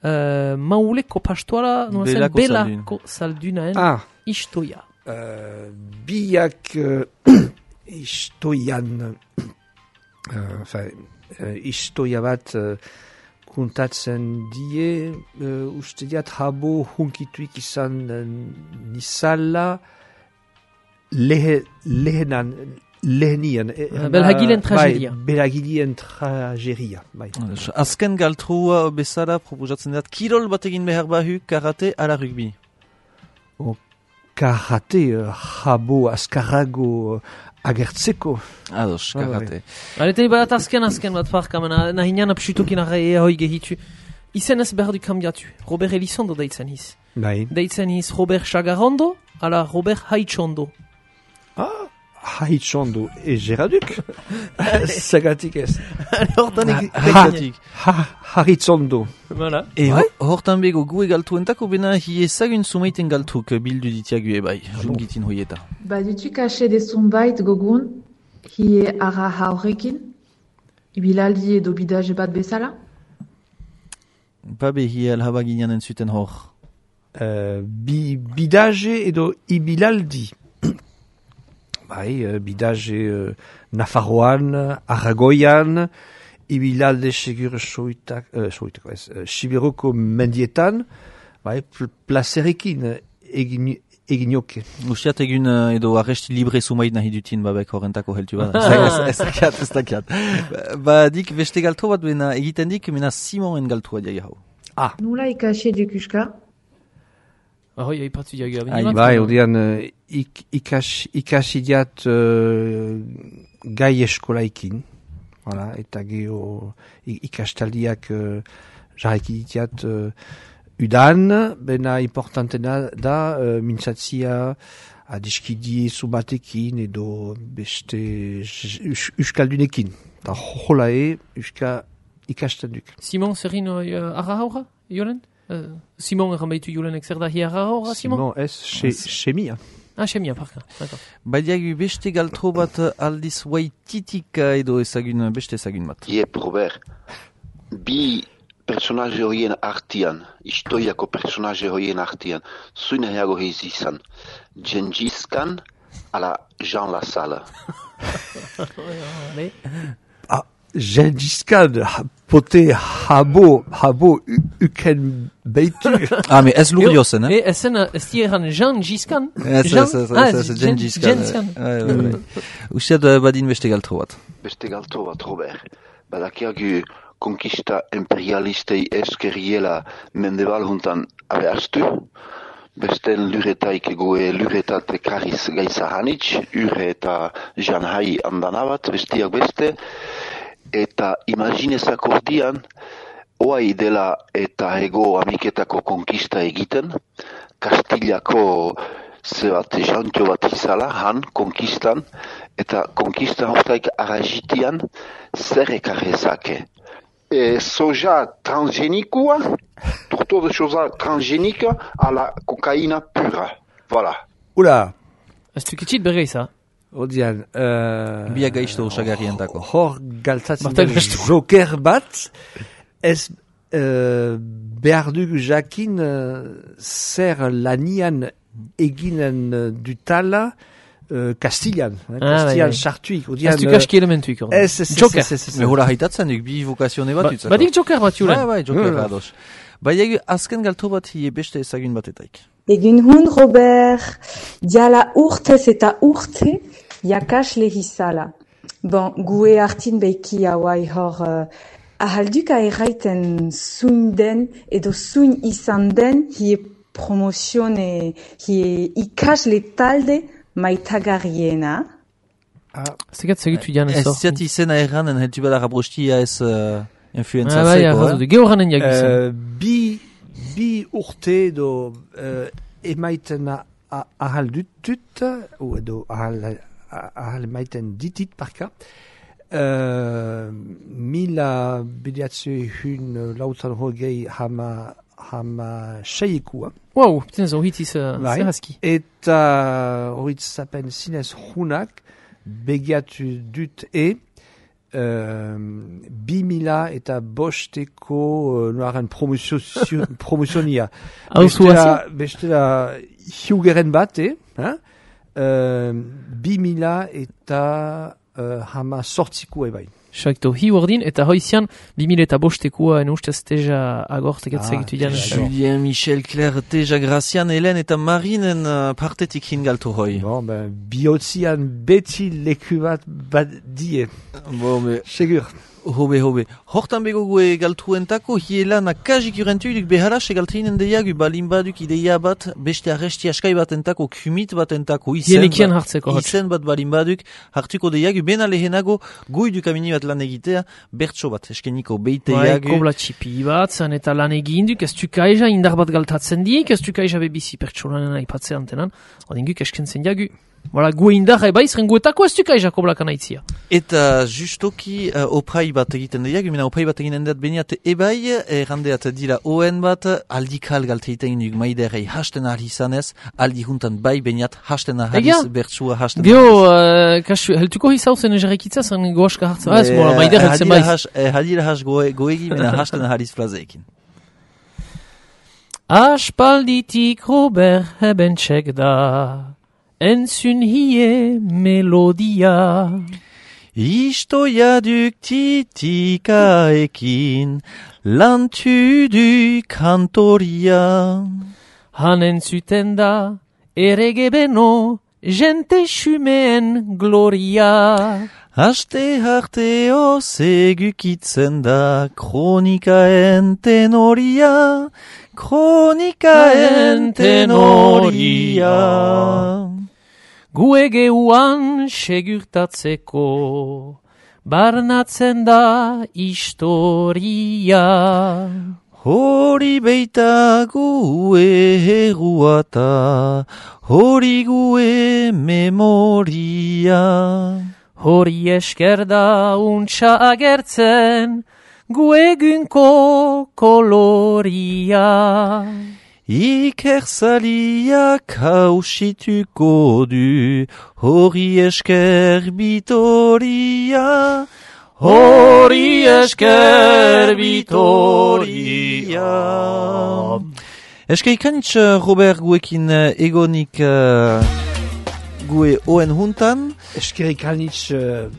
uh, mauleko pastoala, belako belako saldunaen ah. istoia. Uh, biak uh, istoian, uh, enfin, uh, istoia bat... Uh, kuntatzen die, uh, uste diat habo hunkituik izan uh, nizala lehe, lehenan, lehenian. Uh, belhagilen trageria. Bai, belhagilen trageria. Bai. Azken galtrua bezala proposatzen dat, kirol bat egin behar bahu, karate ala rugby. Oh, karate, uh, habo, azkarrago, uh, agertzeko. Ados, karate. Alete bat azken azken bat parka, nahi nian apsutokin arre hoi gehitu. Izen ez behar du kambiatu. Robert Elizondo deitzen hiz. Bai. Deitzen hiz Robert Chagarondo, ala Robert Haitchondo. Ah, Haitchondo. E geraduk? Zagatik ez. Hortan egin. Haitchondo. Voilà. E hortan bego gu egaltuentako bena hi ezagun sumaiten galtuk bildu ditiagu ebai. Jungitin hoieta. Badutu kaxe de zumbait gogun, hi ara haurekin, ibilaldi edo bidaje bat bezala? Babe hi alhaba ginean entzuten hor. Uh, bi, bidaje edo ibilaldi. Bai, uh, bidaje uh, Nafarroan, Aragoian, ibilalde segur soitak, uh, soitak, ez, uh, Siberoko mendietan, bai, pl placerekin egin eginoke. Ustiat egun uh, edo arresti libre sumait nahi dutin babek horrentako heltu bada. Ez dakiat, ez dakiat. Ba dik beste galtro bat bena egiten dik, mena Simonen galtroa diagi hau. Ah. Nula ikasi dukuska? Ahoi, aipatu diagi abini bat. Bai, odian uh, ik, ikas, ikasi diat uh, gai eskolaikin. Voilà, eta geho ikastaldiak uh, jarreki ditiat uh, udan, bena importantena da, uh, mintzatzia adiskidi zubatekin edo beste euskaldunekin. Da hola e, euska ikastanduk. Simon, zerin uh, arra haura, Jolen? Uh, Simon erran baitu Jolenek zer da hi arra haura, Simon? Simon, ez, chemia. Ah, semia, parka. Badiagu beste galtro bat aldiz Waititika edo ezagun, beste ezagun bat. Iep, Robert. Bi personaje horien artian, historiako personaje horien artian, zuin eago heiz izan. Gengis Khan ala Jean Lassalle. Ah, Gengis Khan, pote habo, habo uken beitu. Ah, mais ez luriozen, eh? Eh, ezen, ez dieran Gengis Khan? Ez, ez, ez, ez, Gengis Khan. Usteat badin beste galtro bat. Beste galtro bat, Robert. Badakiagu konkista imperialistei eskeriela mendebal juntan abeaztu. Besten luretaik goe luretat kariz gaisa hanitz, ure eta janhai andanabat, bestiak beste. Eta imaginezak ordian, oai dela eta ego amiketako konkista egiten, Kastiliako zebat jantio bat izala, han, konkistan, eta konkistan hortaik aragitian, zer ekarrezake. E, soja transgenikua, torto de soja transgenika a la kokaina pura. Voilà. Oula! Ez tukitxit berreiz, ha? Odian, uh, Bia gaizto usagarientako. Hor galtatzen den joker bat, ez uh, behar dugu jakin uh, zer lanian eginen dutala uh, Kastilian. Kastilian sartuik. Ez duk aski elementuik. Ez, ez, Joker. ez, ez, ez. Me hola haitatzen duk bi vokazione bat utzako. Badik Joker bat julen. Bai, bai, Joker ados. Bai, azken galtro bat hie beste ezagun batetaik. Egin hun, Robert, diala urtez eta urte, jakasle hizala. Bon, gue hartin beiki hauai hor, uh, ahalduka erraiten zuin den, edo zuin izan den, hie promozione, hie ikasle talde maitagarriena. Zegat segitu dian ez hor. Ez ziat izena erranen, heltu bada rabrostia ez uh, influenza ah, zeko, eh? Gehoranen jagizen. Bi, bi urte edo uh, emaiten ahal dutut, edo ahal... ahal maiten ditit parka. Uh, mila bediatze hun lautan hogei hama, hama seikua. Wow, putain, zo hitiz uh, zerrazki. Eta horitz zapen zinez hunak begiatu dut e uh, bi mila eta bosteko uh, noaren promozionia. Bestela, bestela hiugeren bat, eh? Hein? Uh, bi mila eta uh, hama sortziko ebai. Sakto, hi ordin, eta hoizian, bi mila eta bostekua en ustez teja agortekat segitu dian. Julien, Michel, Claire, teja, Gracian, Helen eta Marinen uh, partetik hingaltu hoi. Bon, ben, bihotzian beti leku bat bat die. Bon, me... Segur. Hobe, hobe. Hortan bego gue galtruentako, hiela na kajik urentuik beharas egaltrinen deiagu balin baduk ideia bat, beste arresti askai bat entako, kumit bat entako, izen, ba, izen bat balin baduk, hartuko deiagu, bena lehenago, goiduk amini bat lan egitea, bertso bat, eskeniko beite iagu. Bai, kobla txipi bat, zan eta lan eginduk, ez tukaija indar bat galtatzen dik, ez tukaija bebizi pertso lanen aipatze antenan, odinguk eskentzen jagu. Voilà, gue indar eba izren guetako ez tukaija kobla kanaitzia. Eta justoki uh, oprai bat egiten dira, gimena oprai bat egiten dut beniat ebai, errandeat dira oen bat, aldikal galte egiten duk maiderei hasten ahal izanez, aldi juntan bai beniat hasten ahaliz, bertsua hasten ahaliz. Geo, uh, kasu, heltuko hizauzen egerekitza zen goaska hartzen, ah, ez mola, maider heltzen baiz. Hadira has goegi, mena hasten ahaliz plazeekin. Aspalditik Robert heben txek da, entzun hie melodia. Istoia duk titikaekin, lantu du kantoria. Han entzuten da, erege beno, jente xumeen gloria. Haste harteo segukitzen da, kronikaen tenoria, kronikaen tenoria. Gue geuan segurtatzeko, barnatzen da historia. Hori beita gue heruata, hori gue memoria. Hori esker da untsa agertzen, gue gunko koloria. Ikerzaliak hausituko du, hori esker bitoria, hori esker bitoria. Eske ikanitz, Robert, guekin egonik uh, gue oen huntan? Eske ikanitz uh,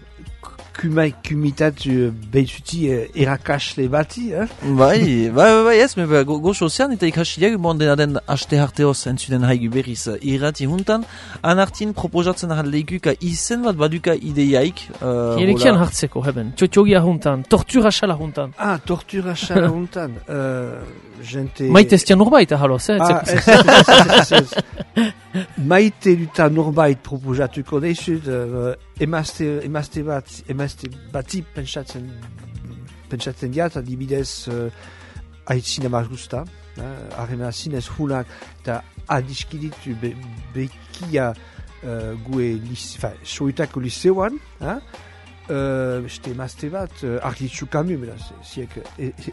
kumai kumitatu beituti uh, erakasle bati, eh? Bai, bai, bai, ez, me goxo ozean, eta ikasiak bon dena den aste harteoz entzuden haigu berriz irrati huntan, anartin proposatzen ahaldeiku izen bat baduka ideiaik. Uh, Erekian hartzeko, heben, txotxogia huntan, tortura xala huntan. Ah, tortura xala huntan. Uh, gente... Maite ez tia norbait ahaloz, eh? Ah, ez, ez, ez, ez. Maite duta norbait proposatuko deizut, uh, emazte, emazte bat, emazte bati pentsatzen, pentsatzen diat, adibidez, uh, aitzina margusta, harremena zinez hunak, eta adiskiditu be, bekia uh, gue, fa, soitako liceoan, ha? Beste uh, emazte bat, uh, argitzu kamu, beraz, ziek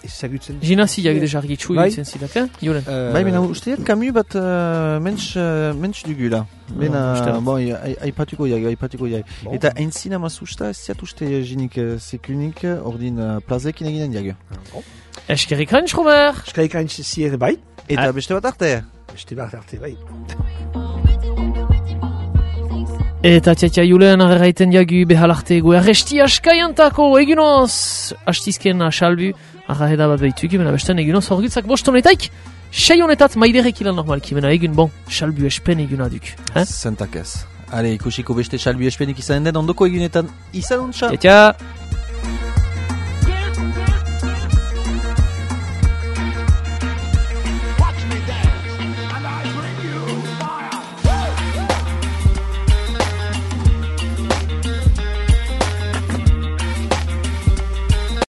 ezagutzen. Gina ziak deja argitzu egitzen zidak, eh? Julen. Uh, bai, mena usteak kamu bat uh, mentz, uh, mentz dugula. Mena, no, bon, aipatuko jai, aipatuko jai. Bon. Eta entzina mazusta, ez ziat uste jinik uh, sekunik, ordin uh, plazekin eginen diag. Bon. Eskerik hainz, Robert! Eskerik hainz zier bai. Eta beste bat arte? Beste bat arte bai. Eta tiatia Julen arraiten diagu behalarte gu arresti askaiantako egunoz hastizken asalbu arraheda bat behituk imena besten egunoz horgitzak bostonetaik sei honetat maiderek ilan normalki imena egun bon salbu espen eguna duk eh? Zentak ez. Ale ikusiko beste salbu espenik izan den ondoko egunetan izan untsa. Tiatia